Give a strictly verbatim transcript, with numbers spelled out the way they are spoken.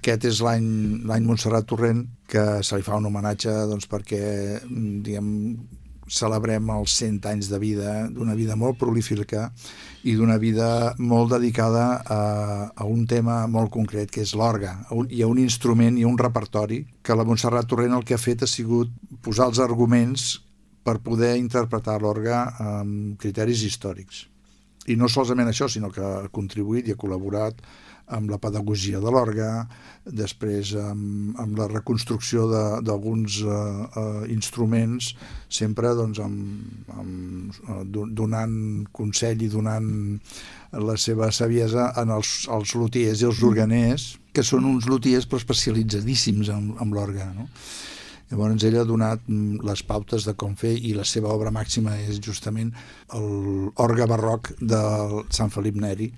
Aquest és l'any l'any Montserrat Torrent, que se li fa un homenatge doncs, perquè diguem, celebrem els cent anys de vida, d'una vida molt prolífica i d'una vida molt dedicada a, a un tema molt concret, que és l'orgue. Hi ha un instrument i un repertori que la Montserrat Torrent el que ha fet ha sigut posar els arguments per poder interpretar l'orgue amb criteris històrics. I no solament això, sinó que ha contribuït i ha col·laborat amb la pedagogia de l'orgue, després amb, amb la reconstrucció d'alguns uh, uh, instruments, sempre doncs, amb, amb, uh, donant consell i donant la seva saviesa en els, els lutiers i els organers, que són uns lutiers però especialitzadíssims en, en l'orgue, no? Llavors ell ha donat les pautes de com fer, i la seva obra màxima és justament l'orgue barroc de Sant Felip Neri,